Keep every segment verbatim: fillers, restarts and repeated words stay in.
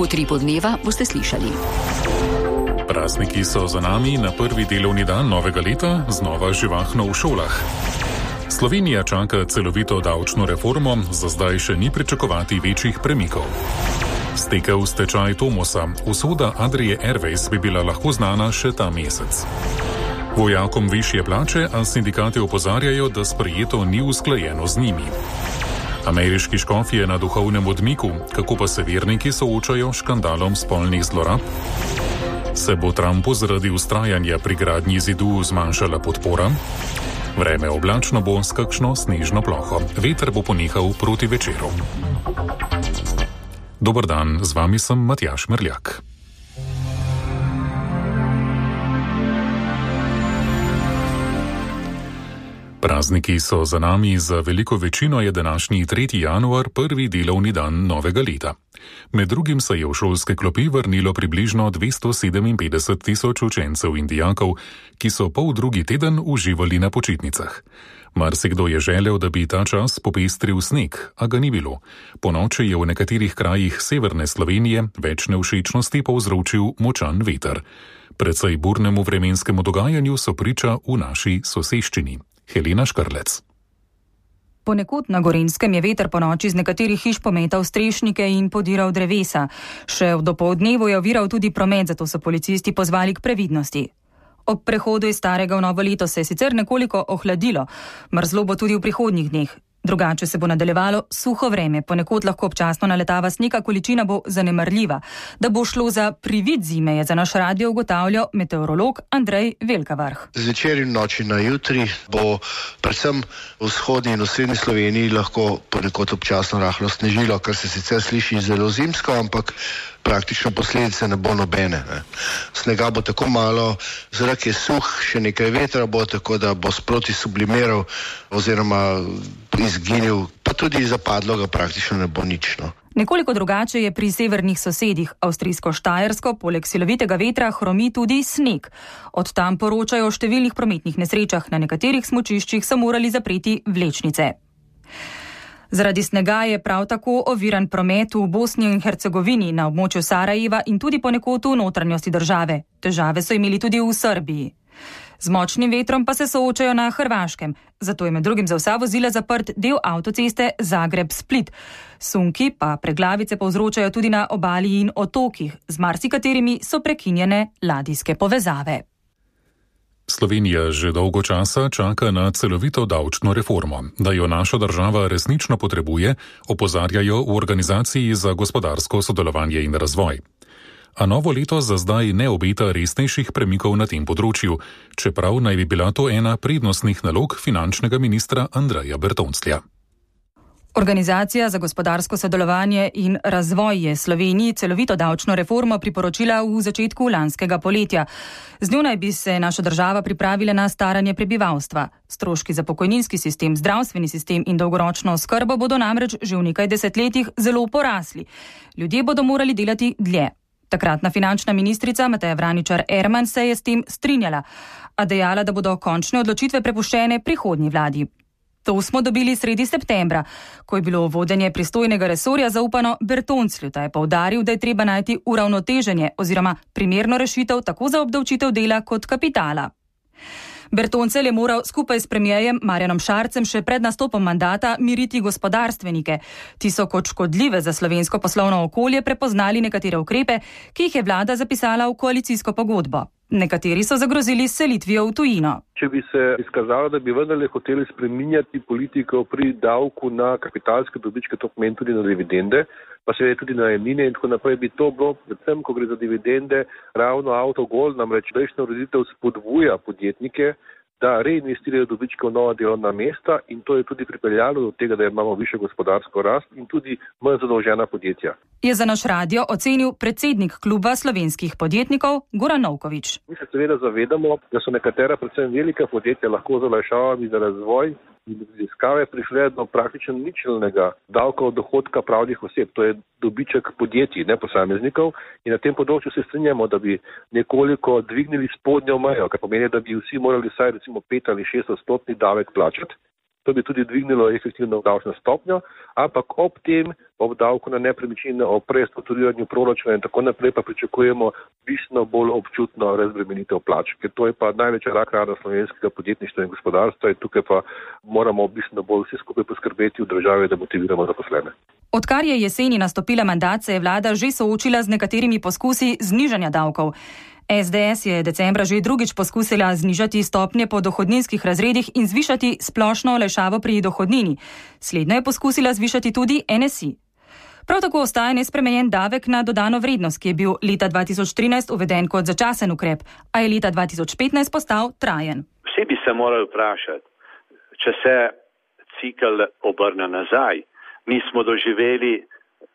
utripu dneva boste slišali. Prazniki so za nami, na prvi delovni dan novega leta znova živahno v šolah. Slovenija čaka celovito davčno reformo, za zdaj še ni pričakovati večjih premikov. Stekel stečaj Tomosa, usoda Adrie Airways bi bila lahko znana še ta mesec. Vojakom višje plače, a sindikati opozarjajo, da sprejeto ni usklajeno z njimi. Ameriški škofje na duhovnem odmiku, kako pa se verniki soočajo s škandalom spolnih zlorab? Se bo Trumpu zaradi vztrajanja pri gradnji zidu zmanjšala podpora? Vreme oblačno bo s kakšno snežno ploho. Veter bo ponehal proti večeru. Dober dan, z vami sem Matjaž Merljak. Prazniki so za nami, za veliko večino je današnji tretji januar prvi delovni dan novega leta. Med drugim se je v šolske klopi vrnilo približno dvesto sedeminpetdeset tisoč učencev in dijakov, ki so pol drugi teden uživali na počitnicah. Marsikdo je želel, da bi ta čas popestril sneg, a ga ni bilo. Ponoči je v nekaterih krajih severne Slovenije več nevšečnosti povzročil močan veter. Precej burnemu vremenskemu dogajanju so priča v naši soseščini. Helena Škrlec. Ponekod na Gorenjskem je veter ponoči z nekaterih hiš pometal strešnike in podiral drevesa. Še v dopoldnevu je oviral tudi promet, zato so policisti pozvali k previdnosti. Ob prehodu iz starega v novo leto se je sicer nekoliko ohladilo, mrzlo bo tudi v prihodnjih dneh. Drugače se bo nadaljevalo suho vreme, ponekod lahko občasno naletava sneg, količina bo zanemarljiva. Da bo šlo za privid zime, je za naš radio ugotavljal meteorolog Andrej Velkavrh. Zvečer in noči na jutri bo predvsem v vzhodni in v srednji Sloveniji lahko ponekod občasno rahlo snežilo, kar se sicer sliši zelo zimsko, ampak praktično posledice ne bo nobene. Ne. Snega bo tako malo, zrak je suh, še nekaj vetra bo, tako da bo sproti sublimiral oziroma izginil, pa tudi zapadlo ga praktično ne bo nič. No. Nekoliko drugače je pri severnih sosedih. Avstrijsko-Štajersko poleg silovitega vetra hromi tudi sneg. Od tam poročajo o številnih prometnih nesrečah, na nekaterih smučiščih so morali zapreti vlečnice. Zaradi snega je prav tako oviran promet v Bosni in Hercegovini, na območju Sarajeva in tudi ponekod v notranjosti države. Težave so imeli tudi v Srbiji. Z močnim vetrom pa se soočajo na Hrvaškem, zato je med drugim za vsa vozila zaprt del avtoceste Zagreb-Split. Sunki pa preglavice povzročajo tudi na obali in otokih, z marsikaterimi so prekinjene ladijske povezave. Slovenija že dolgo časa čaka na celovito davčno reformo. Da jo naša država resnično potrebuje, opozarjajo v Organizaciji za gospodarsko sodelovanje in razvoj. A novo leto za zdaj ne obeta resnejših premikov na tem področju, čeprav naj bi bila to ena prednostnih nalog finančnega ministra Andreja Bertonclja. Organizacija za gospodarsko sodelovanje in razvoj je Sloveniji celovito davčno reformo priporočila v začetku lanskega poletja. Z njo naj bi se naša država pripravila na staranje prebivalstva. Stroški za pokojninski sistem, zdravstveni sistem in dolgoročno oskrbo bodo namreč že v nekaj desetletjih zelo porasli. Ljudje bodo morali delati dlje. Takratna finančna ministrica Mateja Vraničar Erman se je s tem strinjala, a dejala, da bodo končne odločitve prepuščene prihodnji vladi. To smo dobili sredi septembra, ko je bilo vodenje pristojnega resorja zaupano Bertonclju, ta je poudaril, da je treba najti uravnoteženje oziroma primerno rešitev tako za obdavčitev dela kot kapitala. Bertoncelj je moral skupaj s premierjem Marjanom Šarcem še pred nastopom mandata miriti gospodarstvenike. Ti so kot škodljive za slovensko poslovno okolje prepoznali nekatere ukrepe, ki jih je vlada zapisala v koalicijsko pogodbo. Nekateri so zagrozili s selitvijo v tujino. Če bi se izkazalo, da bi vendarle hoteli spreminjati politiko pri davku na kapitalske dobičke, to pomeni tudi na dividende, pa seveda tudi na najemnine in tako naprej, bi to bilo, predvsem ko gre za dividende, ravno avtogol, namreč prejšnja ureditev spodbuja podjetnike, da reinvestirajo dobičke v nova delovna mesta in to je tudi pripeljalo do tega, da imamo višjo gospodarsko rast in tudi manj zadolžena podjetja. Je za naš radio ocenil predsednik kluba slovenskih podjetnikov Goran Novkovič. Mi se seveda zavedamo, da so nekatera predvsem velika podjetja lahko z olajšavami za razvoj in raziskave prišle do praktično ničelnega davka od dohodka pravnih oseb. To je dobiček podjetij, ne posameznikov. In na tem področju se strinjamo, da bi nekoliko dvignili spodnjo mejo, kar pomeni, da bi vsi morali vsaj recimo pet ali šest odstotni davek plačati. To bi tudi dvignilo efektivno davčno stopnjo, ampak ob tem, ob davku na nepremičnine, ob prestrukturiranju proračuna in tako naprej pa pričakujemo bistveno bolj občutno razbremenitev plač, ker to je pa največja rak rana slovenskega podjetništva in gospodarstva in tukaj pa moramo bistveno bolj vsi skupaj poskrbeti v državi, da motiviramo zaposlene. Odkar je jeseni nastopila mandat, se je vlada že soočila z nekaterimi poskusi znižanja davkov. es de es je decembra že drugič poskusila znižati stopnje po dohodninskih razredih in zvišati splošno olajšavo pri dohodnini. Slednjo je poskusila zvišati tudi en es i. Prav tako ostaja nespremenjen davek na dodano vrednost, ki je bil leta dva tisoč trinajst uveden kot začasen ukrep, a je leta dva tisoč petnajst postal trajen. Vsi bi se morali vprašati, če se cikl obrne nazaj. Mi smo doživeli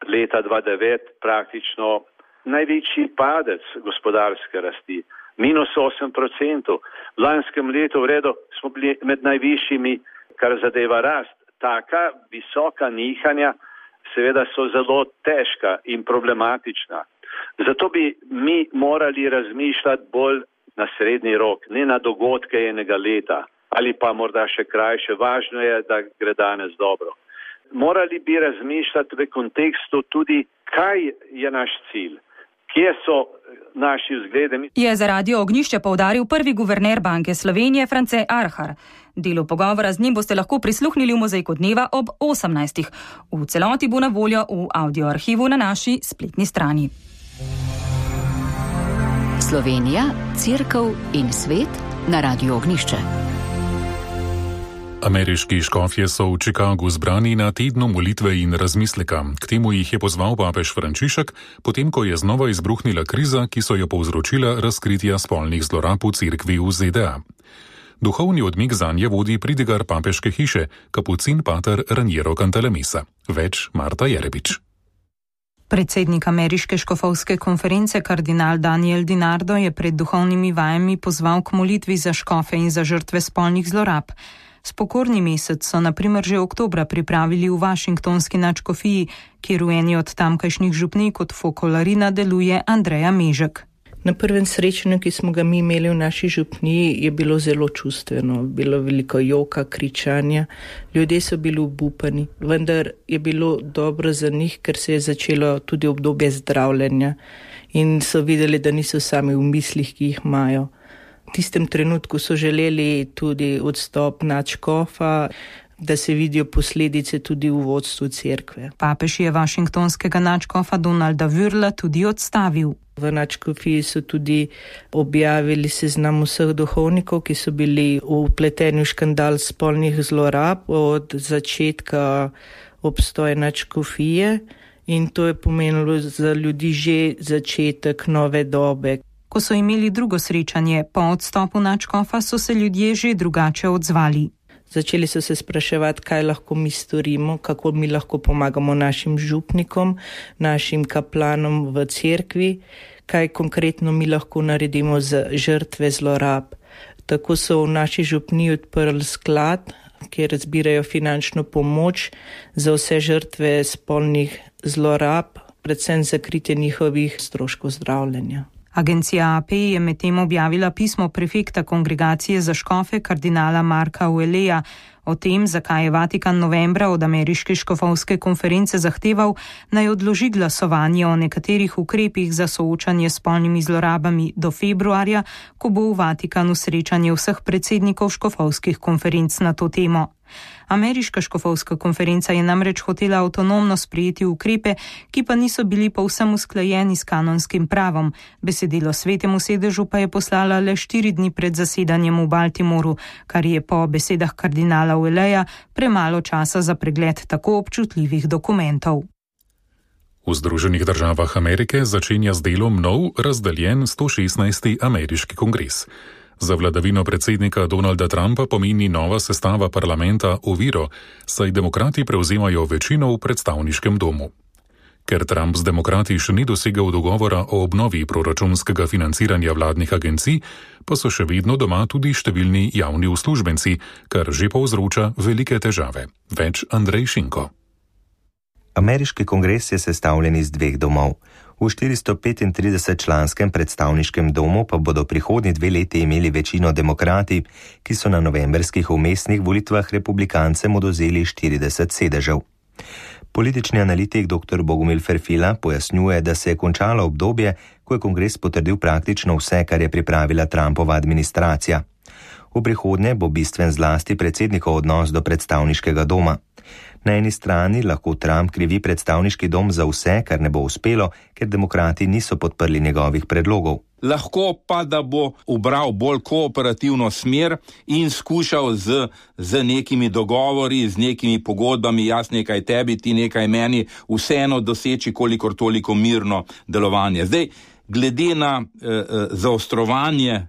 leta dva tisoč devet praktično največji padec gospodarske rasti, minus osem procentov. V lanskem letu v redu smo bili med najvišjimi, kar zadeva rast. Taka visoka nihanja seveda so zelo težka in problematična. Zato bi mi morali razmišljati bolj na srednji rok, ne na dogodke enega leta ali pa morda še krajše. Važno je, da gre danes dobro. Morali bi razmišljati v kontekstu tudi, kaj je naš cilj. Kje so naši vzgledi? Je za Radio Ognjišče poudaril prvi guverner Banke Slovenije France Arhar. Delu pogovora z njim boste lahko prisluhnili v Mozaiku dneva ob osemnajstih. V celoti bo na voljo v audioarhivu na naši spletni strani. Slovenija, Cerkev in svet na Radio Ognjišče. Ameriški škofje so v Chicagu zbrani na tednu molitve in razmisleka. K temu jih je pozval papež Frančišek, potem ko je znova izbruhnila kriza, ki so jo povzročila razkritja spolnih zlorab v cerkvi v ze de a. Duhovni odmik zanje vodi pridigar papeške hiše, kapucin pater Raniero Cantalamessa. Več Marta Jerebič. Predsednik ameriške škofovske konference kardinal Daniel DiNardo je pred duhovnimi vajami pozval k molitvi za škofe in za žrtve spolnih zlorab. Spokorni mesec so na primer že oktobra pripravili v Washingtonski nadškofiji, kjer v eni od tamkajšnjih župnij kot fokolarina deluje Andreja Mežek. Na prvem srečanju, ki smo ga mi imeli v naši župniji, je bilo zelo čustveno. Bilo veliko joka, kričanja, ljudje so bili obupani, vendar je bilo dobro za njih, ker se je začelo tudi obdobje zdravljenja in so videli, da niso sami v mislih, ki jih imajo. V tistem trenutku so želeli tudi odstop nadškofa, da se vidijo posledice tudi v vodstvu cerkve. Papež je washingtonskega nadškofa Donalda Würla tudi odstavil. V nadškofiji so tudi objavili seznam vseh duhovnikov, ki so bili vpleteni v škandal spolnih zlorab od začetka obstoja nadškofije in to je pomenilo za ljudi že začetek nove dobe. Ko so imeli drugo srečanje po odstopu nadškofa, so se ljudje že drugače odzvali. Začeli so se spraševati, kaj lahko mi storimo, kako mi lahko pomagamo našim župnikom, našim kaplanom v cerkvi, kaj konkretno mi lahko naredimo za žrtve zlorab. Tako so v naši župniji odprli sklad, kjer zbirajo finančno pomoč za vse žrtve spolnih zlorab, predvsem za kritje njihovih stroškov zdravljenja. Agencija A P je medtem objavila pismo prefekta kongregacije za škofe kardinala Marka Ouelleja o tem, zakaj je Vatikan novembra od ameriške škofovske konference zahteval, naj odloži glasovanje o nekaterih ukrepih za soočanje s spolnimi zlorabami do februarja, ko bo v Vatikanu srečanje vseh predsednikov škofovskih konferenc na to temo. Ameriška škofovska konferenca je namreč hotela avtonomno sprejeti ukrepe, ki pa niso bili povsem usklajeni s kanonskim pravom. Besedilo svetemu sedežu pa je poslala le štiri dni pred zasedanjem v Baltimoru, kar je po besedah kardinala Ouelleja premalo časa za pregled tako občutljivih dokumentov. V Združenih državah Amerike začenja z delom nov, razdeljen sto šestnajsti ameriški kongres. Za vladavino predsednika Donalda Trumpa pomeni nova sestava parlamenta oviro, saj demokrati prevzemajo večino v predstavniškem domu. Ker Trump z demokrati še ni dosegel dogovora o obnovi proračunskega financiranja vladnih agencij, pa so še vedno doma tudi številni javni uslužbenci, kar že povzroča velike težave. Več Andrej Šinko. Ameriški kongres je sestavljen iz dveh domov. V štiristo petintrideset članskem predstavniškem domu pa bodo prihodnji dve leti imeli večino demokrati, ki so na novemberskih umestnih volitvah republikancem odvzeli štirideset sedežev. Politični analitik dr. Bogomil Ferfila pojasnjuje, da se je končalo obdobje, ko je kongres potrdil praktično vse, kar je pripravila Trumpova administracija. V prihodnje bo bistven zlasti predsednikov odnos do predstavniškega doma. Na eni strani lahko Trump krivi predstavniški dom za vse, kar ne bo uspelo, ker demokrati niso podprli njegovih predlogov. Lahko pa, da bo ubral bolj kooperativno smer in skušal z, z nekimi dogovori, z nekimi pogodbami, jaz nekaj tebi, ti nekaj meni, vseeno doseči kolikor toliko mirno delovanje. Zdaj, glede na eh, zaostrovanje eh,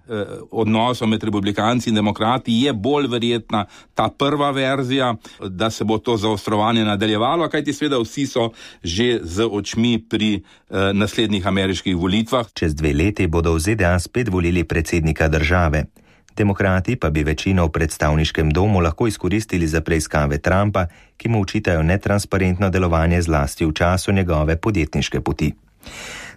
odnosov med republikanci in demokrati je bolj verjetna ta prva verzija, da se bo to zaostrovanje nadaljevalo, kajti seveda vsi so že z očmi pri eh, naslednjih ameriških volitvah. Čez dve leti bodo v Z D A spet volili predsednika države. Demokrati pa bi večino v predstavniškem domu lahko izkoristili za preiskave Trumpa, ki mu očitajo netransparentno delovanje zlasti v času njegove podjetniške poti.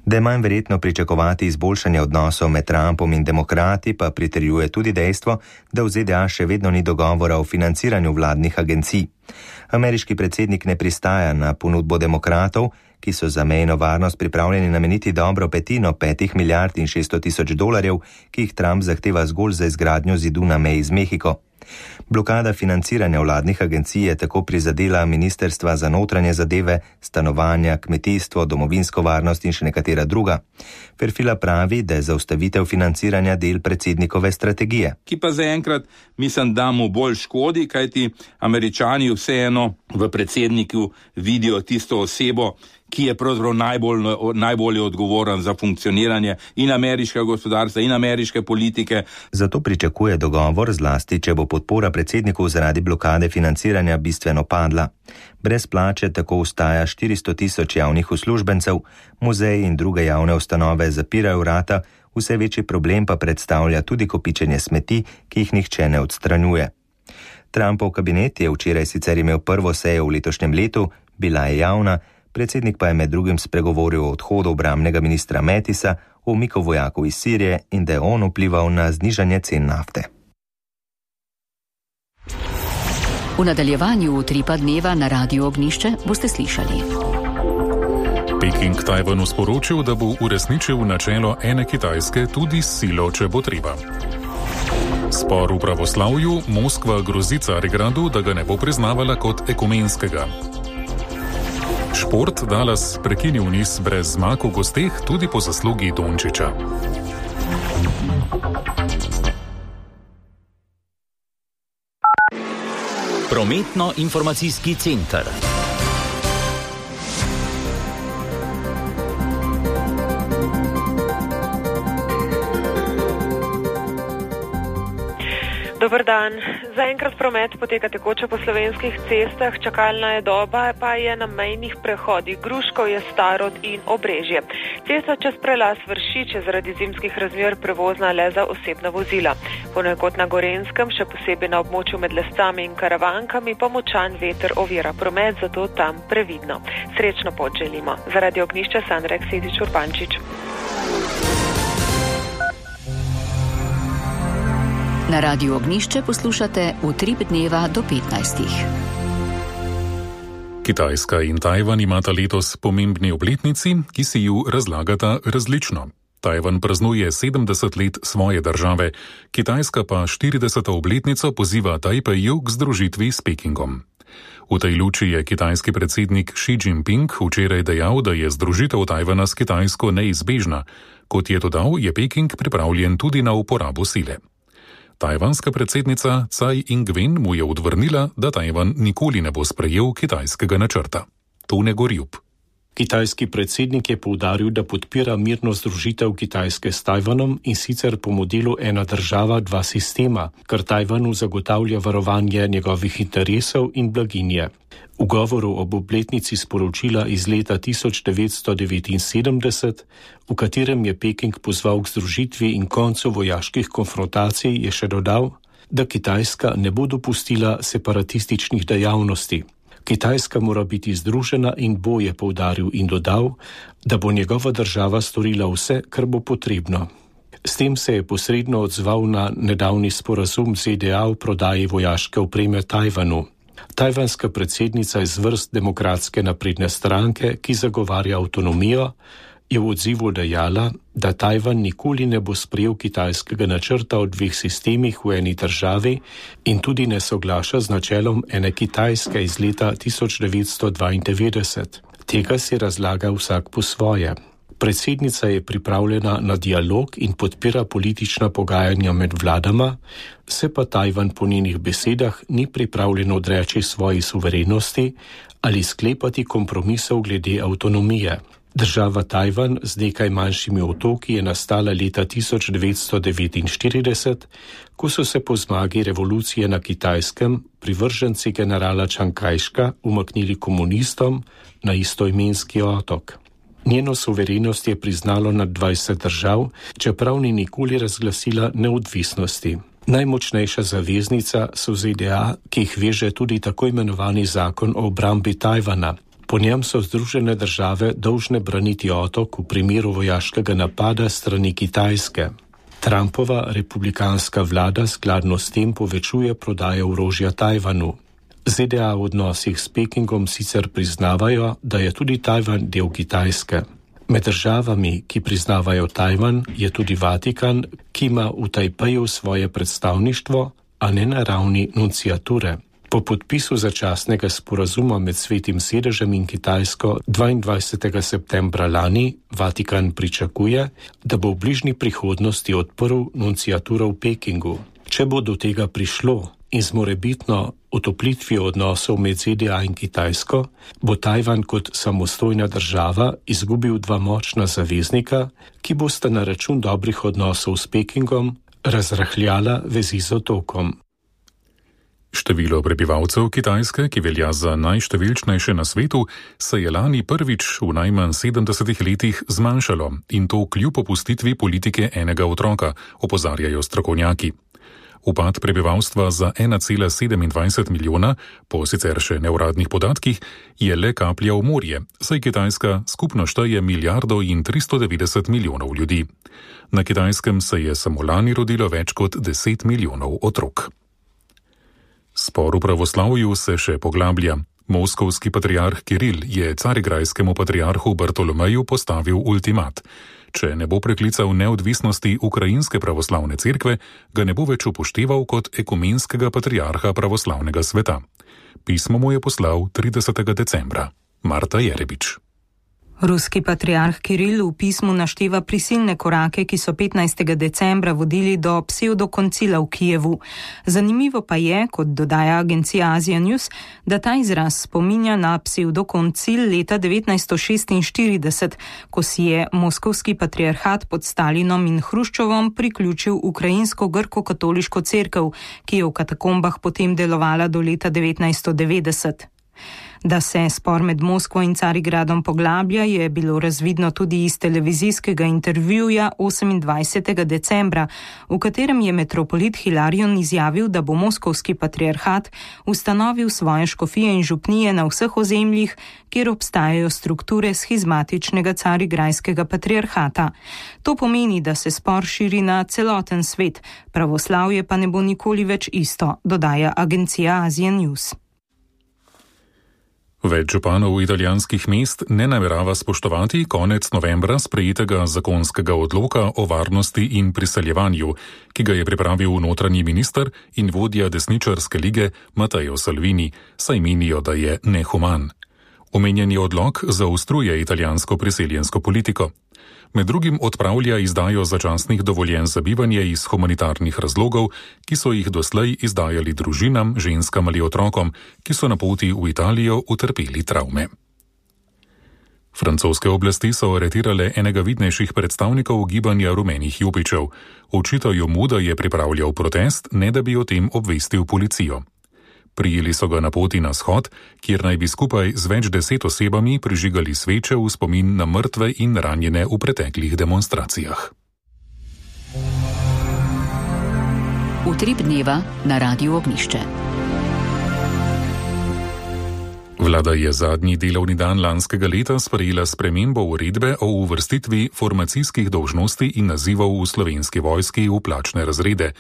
Da je manj verjetno pričakovati izboljšanje odnosov med Trumpom in demokrati, pa pritrjuje tudi dejstvo, da v Z D A še vedno ni dogovora o financiranju vladnih agencij. Ameriški predsednik ne pristaja na ponudbo demokratov, ki so za mejno varnost pripravljeni nameniti dobro petino petih milijard in šeststo tisoč dolarjev, ki jih Trump zahteva zgolj za izgradnjo zidu na meji z Mehiko. Blokada financiranja vladnih agencij je tako prizadela ministrstva za notranje zadeve, stanovanja, kmetijstvo, domovinsko varnost in še nekatera druga. Ferfila pravi, da je zaustavitev financiranja del predsednikove strategije. Ki pa zaenkrat mislim, da mu bolj škodi, kajti Američani vseeno v predsedniku vidijo tisto osebo, ki je pravzaprav najbolj, najbolje odgovoren za funkcioniranje in ameriškega gospodarstva in ameriške politike. Zato pričakuje dogovor, zlasti če bo podpora predsedniku zaradi blokade financiranja bistveno padla. Brez plače tako ostaja štiristo tisoč javnih uslužbencev, muzeji in druge javne ustanove zapirajo vrata, vse večji problem pa predstavlja tudi kopičenje smeti, ki jih nihče ne odstranjuje. Trumpov kabinet je včeraj sicer imel prvo sejo v letošnjem letu, bila je javna, predsednik pa je med drugim spregovoril o odhodu obrambnega ministra Mattisa, o umiku vojakov iz Sirije in da je on vplival na znižanje cen nafte. V nadaljevanju utripa dneva na Radiu Ognišče boste slišali. Peking Tajvanu sporočil, da bo uresničil načelo ene Kitajske tudi s silo, če bo treba. Spor v pravoslavju, Moskva grozi Carigradu, da ga ne bo priznavala kot ekumenskega. Šport Dallas prekinil niz brez zmag v gosteh tudi po zaslugi Dončiča. Prometno-informacijski center. Dober dan. Zaenkrat promet poteka tekoče po slovenskih cestah, čakalna je doba pa je na mejnih prehodih Gruškov, je Starod in Obrežje. Cesta čez prelaz Vršič je zaradi zimskih razmer prevozna le za osebna vozila. Ponekod na Gorenskem, še posebej na območju med Lescami in Karavankami, pa močan veter ovira promet, zato tam previdno. Srečno pot želimo. Zaradi Ognišča Sandra Ksedič Urbančič. Na Radiu Ognišče poslušate Utrip dneva do petnajstih. Kitajska in Tajvan imata letos pomembni obletnici, ki si ju razlagata različno. Tajvan praznuje sedemdeset let svoje države, Kitajska pa štirideseto obletnico poziva Tajpeju k združitvi s Pekingom. V tej luči je kitajski predsednik Xi Jinping včeraj dejal, da je združitev Tajvana s Kitajsko neizbežna. Kot je dodal, je Peking pripravljen tudi na uporabo sile. Tajvanska predsednica Tsai Ing-wen mu je odvrnila, da Tajvan nikoli ne bo sprejel kitajskega načrta. Tone Gorjup. Kitajski predsednik je poudaril, da podpira mirno združitev Kitajske s Tajvanom in sicer po modelu ena država, dva sistema, kar Tajvanu zagotavlja varovanje njegovih interesov in blaginje. V govoru ob obletnici sporočila iz leta tisoč devetsto devetinsedemdeset, v katerem je Peking pozval k združitvi in koncu vojaških konfrontacij, je še dodal, da Kitajska ne bo dopustila separatističnih dejavnosti. Kitajska mora biti združena in bo, je poudaril in dodal, da bo njegova država storila vse, kar bo potrebno. S tem se je posredno odzval na nedavni sporazum Z D A o prodaji vojaške opreme Tajvanu. Tajvanska predsednica iz vrst Demokratske napredne stranke, ki zagovarja avtonomijo, je v odzivu dejala, da Tajvan nikoli ne bo sprejel kitajskega načrta o dveh sistemih v eni državi in tudi ne soglaša z načelom ene Kitajske iz leta tisoč devetsto dvaindevetdeset. Tega si razlaga vsak po svoje. Predsednica je pripravljena na dialog in podpira politična pogajanja med vladama, se pa Tajvan po njenih besedah ni pripravljen odreči svoji suverenosti ali sklepati kompromisov glede avtonomije. Država Tajvan z nekaj manjšimi otoki je nastala leta tisoč devetsto devetinštirideset, ko so se po zmagi revolucije na Kitajskem privrženci generala Čang Kajška umaknili komunistom na istoimenski otok. Njeno suverenost je priznalo nad dvajset držav, čeprav ni nikoli razglasila neodvisnosti. Najmočnejša zaveznica so Z D A, ki jih veže tudi tako imenovani zakon o obrambi Tajvana. Po njem so Združene države dolžne braniti otok v primeru vojaškega napada strani Kitajske. Trumpova republikanska vlada skladno s tem povečuje prodajo orožja Tajvanu. Z D A v odnosih s Pekingom sicer priznavajo, da je tudi Tajvan del Kitajske. Med državami, ki priznavajo Tajvan, je tudi Vatikan, ki ima v Tajpeju svoje predstavništvo, a ne na ravni nunciature. Po podpisu začasnega sporazuma med Svetim sedežem in Kitajsko dvaindvajsetega septembra lani Vatikan pričakuje, da bo v bližnji prihodnosti odprl nunciaturo v Pekingu. Če bo do tega prišlo in z morebitno otoplitvijo odnosov med Z D A in Kitajsko, bo Tajvan kot samostojna država izgubil dva močna zaveznika, ki bosta na račun dobrih odnosov s Pekingom razrahljala vezi z otokom. Število prebivalcev Kitajske, ki velja za najštevilčnejše na svetu, se je lani prvič v najmanj sedemdesetih letih zmanjšalo in to kljub opustitvi politike enega otroka, opozarjajo strokovnjaki. Upad prebivalstva za ena cela sedemindvajset milijona, po sicer še neuradnih podatkih, je le kaplja v morje, saj Kitajska skupno šteje milijardo in tristo devetdeset milijonov ljudi. Na Kitajskem se je samo lani rodilo več kot deset milijonov otrok. Spor v pravoslavju se še poglablja. Moskovski patriarh Kiril je carigrajskemu patriarhu Bartolomeju postavil ultimat. Če ne bo preklical neodvisnosti ukrajinske pravoslavne cerkve, ga ne bo več upošteval kot ekumenskega patriarha pravoslavnega sveta. Pismo mu je poslal tridesetega decembra. Marta Jerebič. Ruski patriarh Kiril v pismu našteva prisilne korake, ki so petnajstega decembra vodili do psevdokoncila v Kijevu. Zanimivo pa je, kot dodaja agencija Asia News, da ta izraz spominja na psevdokoncil leta devetnajststo šestinštirideset, ko si je moskovski patriarhat pod Stalinom in Hruščovom priključil ukrajinsko grko-katoliško cerkev, ki je v katakombah potem delovala do leta devetnajststo devetdeset. Da se spor med Moskvo in Carigradom poglablja, je bilo razvidno tudi iz televizijskega intervjuja osemindvajsetega decembra, v katerem je metropolit Hilarion izjavil, da bo moskovski patriarhat ustanovil svoje škofije in župnije na vseh ozemljih, kjer obstajajo strukture schizmatičnega carigrajskega patriarhata. To pomeni, da se spor širi na celoten svet, pravoslavje pa ne bo nikoli več isto, dodaja agencija Asia News. Več županov italijanskih mest ne namerava spoštovati konec novembra sprejetega zakonskega odloka o varnosti in priseljevanju, ki ga je pripravil notranji minister in vodja desničarske lige Matteo Salvini, saj menijo, da je nehuman. Omenjeni odlok zaostruje italijansko priseljensko politiko. Med drugim odpravlja izdajo začasnih dovoljenj za bivanje iz humanitarnih razlogov, ki so jih doslej izdajali družinam, ženskam ali otrokom, ki so na poti v Italijo utrpeli travme. Francoske oblasti so aretirale enega vidnejših predstavnikov gibanja rumenih jopičev. Očitajo mu, da je pripravljal protest, ne da bi o tem obvestil policijo. Prijeli so ga na poti na shod, kjer naj bi skupaj z več deset osebami prižigali sveče v spomin na mrtve in ranjene v preteklih demonstracijah. Utrip dneva na Radiu Ognišče. Vlada je zadnji delovni dan lanskega leta sprejela spremembo uredbe o uvrstitvi formacijskih dolžnosti in nazivov v Slovenski vojski v plačne razrede,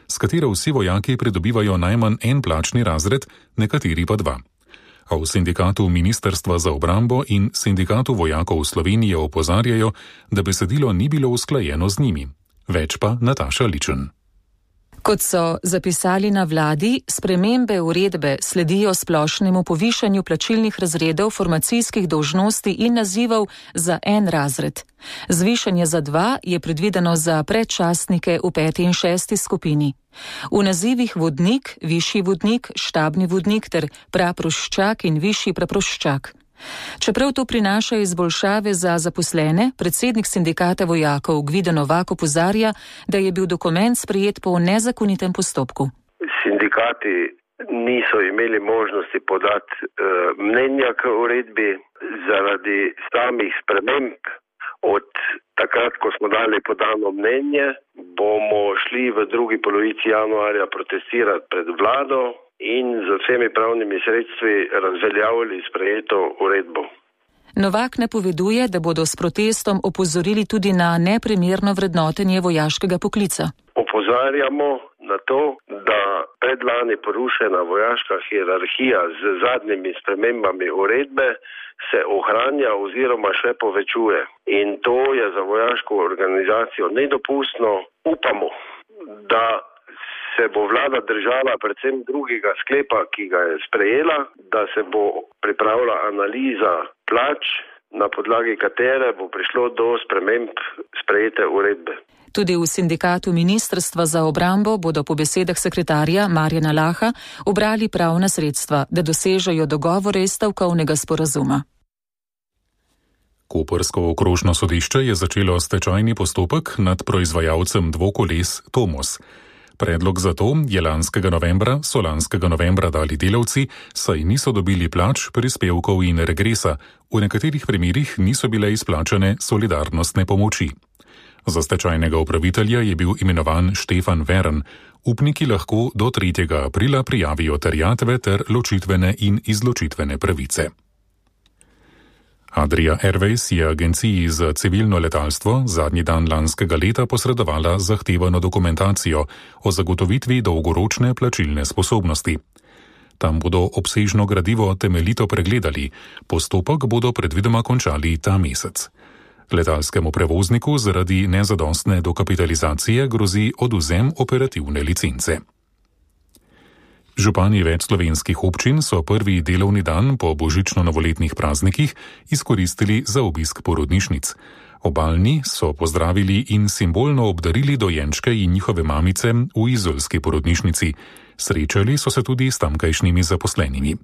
s katero vsi vojaki pridobivajo najmanj en plačni razred, nekateri pa dva. A v sindikatu Ministrstva za obrambo in sindikatu vojakov Slovenije opozarjajo, da besedilo ni bilo usklajeno z njimi. Več pa Nataša Ličen. Kot so zapisali na vladi, spremembe uredbe sledijo splošnemu povišanju plačilnih razredov formacijskih dolžnosti in nazivov za en razred. Zvišanje za dva je predvideno za predčasnike v peti in šesti skupini. V nazivih vodnik, višji vodnik, štabni vodnik ter praproščak in višji praproščak. Čeprav to prinaša izboljšave za zaposlene, predsednik sindikata vojakov Gvido Novak opozarja, da je bil dokument sprejet po nezakonitem postopku. Sindikati niso imeli možnosti podati uh, mnenja k uredbi zaradi samih sprememb. Od takrat, ko smo dali podano mnenje, bomo šli v drugi polovici januarja protestirati pred vlado in z vsemi pravnimi sredstvi razveljavili sprejeto uredbo. Novak napoveduje, da bodo s protestom opozorili tudi na neprimerno vrednotenje vojaškega poklica. Opozarjamo na to, da predlani porušena vojaška hierarhija z zadnjimi spremembami uredbe se ohranja oziroma še povečuje. In to je za vojaško organizacijo nedopustno. Upamo, da se bo vlada držala predvsem drugega sklepa, ki ga je sprejela, da se bo pripravila analiza plač, na podlagi katere bo prišlo do sprememb sprejete uredbe. Tudi v sindikatu Ministrstva za obrambo bodo po besedah sekretarja Marjana Laha obrali pravna sredstva, da dosežejo dogovore iz stavkovnega sporazuma. Koprsko okrožno sodišče je začelo stečajni postopek nad proizvajalcem dvokoles Tomos. Predlog za to je lanskega novembra, so lanskega novembra dali delavci, saj niso dobili plač, prispevkov in regresa, v nekaterih primerih niso bile izplačane solidarnostne pomoči. Za stečajnega upravitelja je bil imenovan Štefan Vern. Upniki lahko do tretjega aprila prijavijo terjatve ter ločitvene in izločitvene pravice. Adria Airways je agenciji za civilno letalstvo zadnji dan lanskega leta posredovala zahtevano dokumentacijo o zagotovitvi dolgoročne plačilne sposobnosti. Tam bodo obsežno gradivo temeljito pregledali, postopek bodo predvidoma končali ta mesec. Letalskemu prevozniku zaradi nezadostne dokapitalizacije grozi odvzem operativne licence. Župani več slovenskih občin so prvi delovni dan po božično-novoletnih praznikih izkoristili za obisk porodnišnic. Obalni so pozdravili in simbolno obdarili dojenčke in njihove mamice v izolski porodnišnici. Srečali so se tudi s tamkajšnjimi zaposlenimi.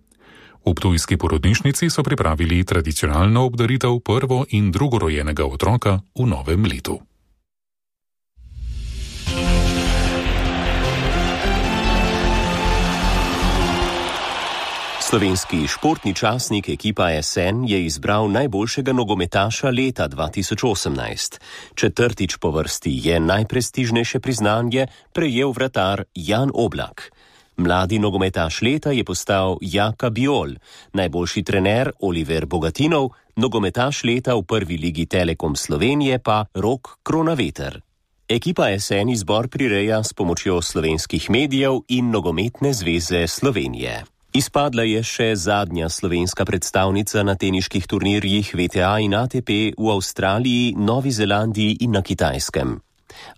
V ptujski porodnišnici so pripravili tradicionalno obdaritev prvo- in drugorojenega otroka v novem letu. Slovenski športni časnik ekipa S N je izbral najboljšega nogometaša leta dva tisoč osemnajst. Četrtič po vrsti je najprestižnejše priznanje prejel vratar Jan Oblak. Mladi nogometaš leta je postal Jaka Biol, najboljši trener Oliver Bogatinov, nogometaš leta v prvi ligi Telekom Slovenije pa Rok Kronaveter. Ekipa S N izbor prireja s pomočjo slovenskih medijev in Nogometne zveze Slovenije. Izpadla je še zadnja slovenska predstavnica na teniških turnirjih V T A in A T P v Avstraliji, Novi Zelandiji in na Kitajskem.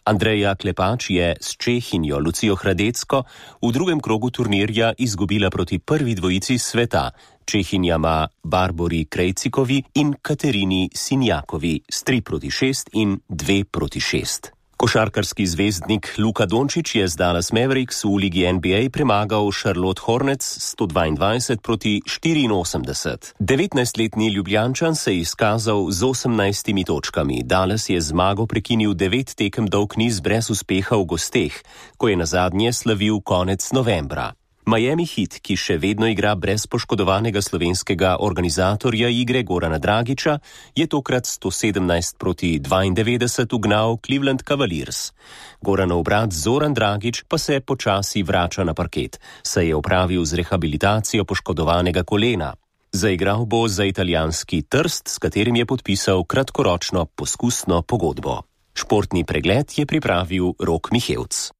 Andreja Klepač je s Čehinjo Lucijo Hradecko v drugem krogu turnirja izgubila proti prvi dvojici sveta, Čehinjama Barbori Krejcikovi in Katerini Sinjakovi s tri proti šest in dve proti šest. Košarkarski zvezdnik Luka Dončić je z Dallas Mavericks v ligi N B A premagal Charlotte Hornets sto dvaindvajset proti štiriinosemdeset. devetnajstletni Ljubljančan se je izkazal z osemnajstimi točkami. Dallas je zmago prekinil devet tekem dolg niz brez uspeha v gosteh, ko je nazadnje slavil konec novembra. Miami Heat, ki še vedno igra brez poškodovanega slovenskega organizatorja igre Gorana Dragića, je tokrat sto sedemnajst proti dvaindevetdeset ugnal Cleveland Cavaliers. Goranov brat Zoran Dragić pa se počasi vrača na parket, saj je opravil z rehabilitacijo poškodovanega kolena. Zaigral bo za italijanski Trst, s katerim je podpisal kratkoročno poskusno pogodbo. Športni pregled je pripravil Rok Mihevc.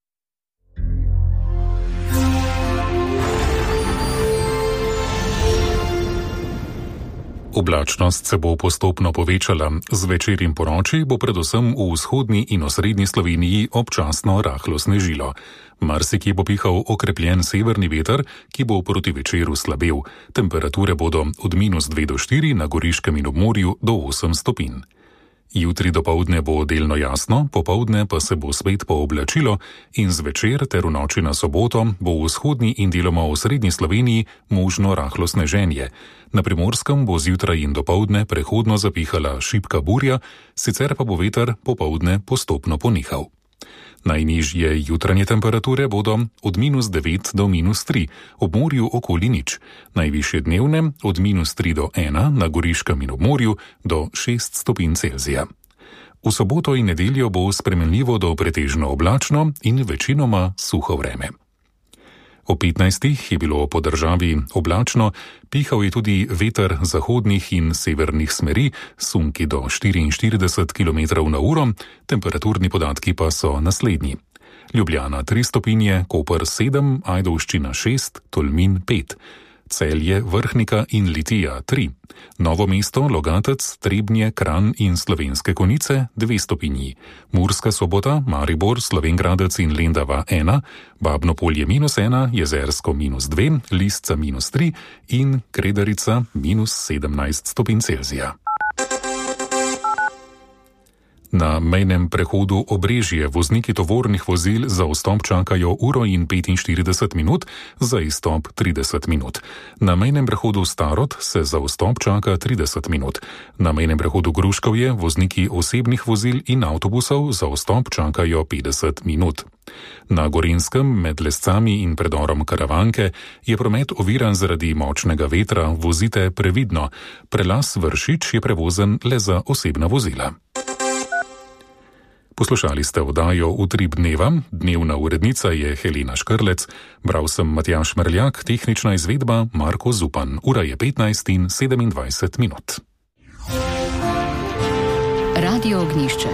Oblačnost se bo postopno povečala. Zvečer in ponoči bo predvsem v vzhodni in osrednji Sloveniji občasno rahlo snežilo. Marsikje bo pihal okrepljen severni veter, ki bo proti večeru slabel. Temperature bodo od minus dve do štiri na Goriškem in obmorju do osem stopinj. Jutri dopoldne bo delno jasno, popoldne pa se bo spet pooblačilo in zvečer ter v noči na soboto bo v vzhodni in deloma v srednji Sloveniji možno rahlo sneženje. Na Primorskem bo zjutraj in dopoldne prehodno zapihala šibka burja, sicer pa bo veter popoldne postopno ponehal. Najnižje jutranje temperature bodo od minus devet do minus tri, ob morju okoli nič, najvišje dnevne od minus tri do ena, na Goriškem in obmorju do šest stopinj Celzija. V soboto in nedeljo bo spremenljivo do pretežno oblačno in večinoma suho vreme. O petnajstih je bilo po državi oblačno, pihal je tudi veter zahodnih in severnih smeri, sunki do štiriinštirideset kilometrov na uro, temperaturni podatki pa so naslednji. Ljubljana tri stopinje, Koper sedem, Ajdovščina šest, Tolmin pet. Celje, Vrhnika in Litija tri. Novo mesto, Logatec, Trebnje, Kranj in Slovenske Konjice dve stopinji. Murska Sobota, Maribor, Slovenj Gradec in Lendava ena, Babno Polje minus ena, Jezersko minus dve, Lisca minus tri in Kredarica minus sedemnajst stopinj Celzija. Na mejnem prehodu Obrežje vozniki tovornih vozil za vstop čakajo uro in petinštirideset minut, za izstop trideset minut. Na mejnem prehodu Starod se za vstop čaka trideset minut. Na mejnem prehodu Gruškovje vozniki osebnih vozil in avtobusov za vstop čakajo petdeset minut. Na Gorenjskem med Lescami in predorom Karavanke je promet oviran zaradi močnega vetra, vozite previdno. Prelaz Vršič je prevozen le za osebna vozila. Poslušali ste oddajo Utrip dneva, dnevna urednica je Helena Škrlec, bral sem Matjaž Merljak, tehnična izvedba Marko Zupan. Ura je petnajst in sedemindvajset minut. Radio Ognjišče.